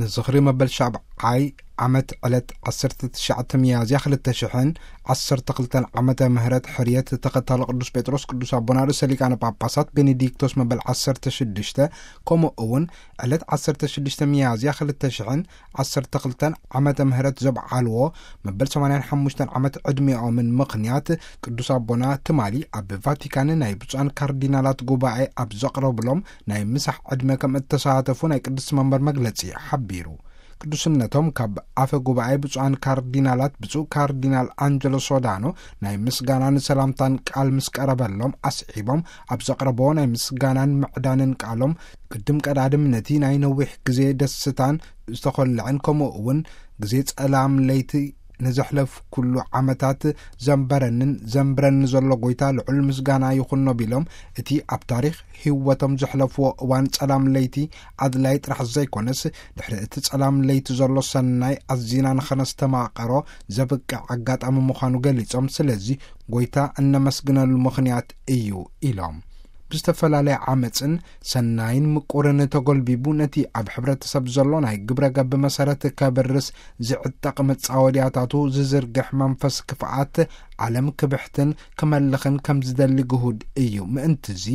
ንዝኽሪ መበል ሻብዓይ ዓመት ዕለት ዓሰርተ ትሽዓተ ሚያዝያ ክልተ ሽሕን ዓሰርተ ክልተን ዓመተ ምህረት ሕርየት ተኸታሊ ቅዱስ ጴጥሮስ ቅዱስ ኣቦና ርእሰ ሊቃነ ጳጳሳት ቤኔዲክቶስ መበል ዓሰርተ ሽዱሽተ፣ ከምኡ እውን ዕለት ዓሰርተ ሽዱሽተ ሚያዝያ ክልተ ሽሕን ዓሰርተ ክልተን ዓመተ ምህረት ዘብዓልዎ መበል ሰማንያን ሓሙሽተን ዓመት ዕድሚኦምን ምኽንያት ቅዱስ ኣቦና ትማሊ ኣብ ቫቲካን ናይ ብፁዓን ካርዲናላት ጉባኤ ኣብ ዘቕረብሎም ናይ ምሳሕ ዕድመ ከም እተሳተፉ ናይ ቅድስቲ መንበር መግለጺ ሓቢሩ። ቅዱስነቶም ካብ ኣፈ ጉባኤ ብፁዓን ካርዲናላት ብፁዕ ካርዲናል ኣንጀሎ ሶዳኖ ናይ ምስጋናን ሰላምታን ቃል ምስ ቀረበሎም ኣስዒቦም ኣብ ዘቕረብዎ ናይ ምስጋናን ምዕዳንን ቃሎም ቅድም ቀዳድም ነቲ ናይ ነዊሕ ግዜ ደስታን ዝተኾልዐን ከምኡ እውን ግዜ ጸላም ለይቲ ንዘሕለፍ ኩሉ ዓመታት ዘንበረንን ዘንብረን ዘሎ ጎይታ ልዑል ምስጋና ይኹኖ ቢሎም፣ እቲ ኣብ ታሪኽ ህይወቶም ዘሕለፍዎ እዋን ጸላም ለይቲ ኣድላይ ጥራሕ ዘይኮነስ፣ ድሕሪ እቲ ጸላም ለይቲ ዘሎ ሰናይ ኣዚና ንኸነስተማቐሮ ዘብቅዕ ኣጋጣሚ ምዃኑ ገሊጾም፣ ስለዚ ጎይታ እነመስግነሉ ምኽንያት እዩ ኢሎም። ብዝተፈላለየ ዓመፅን ሰናይን ምቁርን ተጎልቢቡ፣ ነቲ ኣብ ሕብረተሰብ ዘሎ ናይ ግብረ ገብ መሰረት ከብርስ ዝዕጠቕ መጻወድያታቱ ዝዝርግሕ መንፈስ ክፍኣት ዓለም ክብሕትን ክመልኽን ከም ዝደሊ ግሁድ እዩ። ምእንትዚ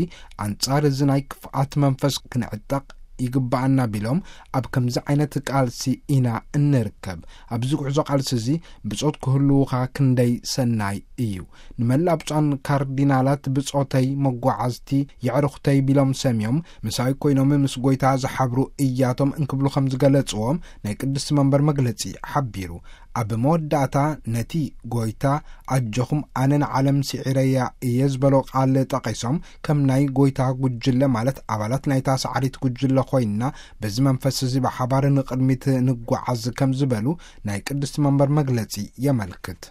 ኣንጻር እዚ ናይ ክፍኣት መንፈስ ክንዕጠቕ ይግባኣና ቢሎም፣ ኣብ ከምዚ ዓይነት ቃልሲ ኢና እንርከብ። ኣብዚ ጉዕዞ ቃልሲ እዚ ብጾት ክህልውኻ ክንደይ ሰናይ እዩ። ንመላእ ብፁዓን ካርዲናላት ብጾተይ መጓዓዝቲ የዕሩኽተይ ቢሎም ሰምዮም ምሳይ ኮይኖም ምስ ጎይታ ዝሓብሩ እያቶም እንክብሉ ከም ዝገለጽዎም ናይ ቅድስቲ መንበር መግለጺ ሓቢሩ። ኣብ መወዳእታ ነቲ ጎይታ ኣጆኹም ኣነ ንዓለም ስዒረያ እየ ዝበሎ ቃል ጠቒሶም፣ ከም ናይ ጎይታ ጉጅለ ማለት ኣባላት ናይታ ሰዓሪት ጉጅለ ኮይንና በዚ መንፈስ እዚ ብሓባር ንቕድሚት ንጓዓዝ ከም ዝበሉ ናይ ቅድስቲ መንበር መግለጺ የመልክት።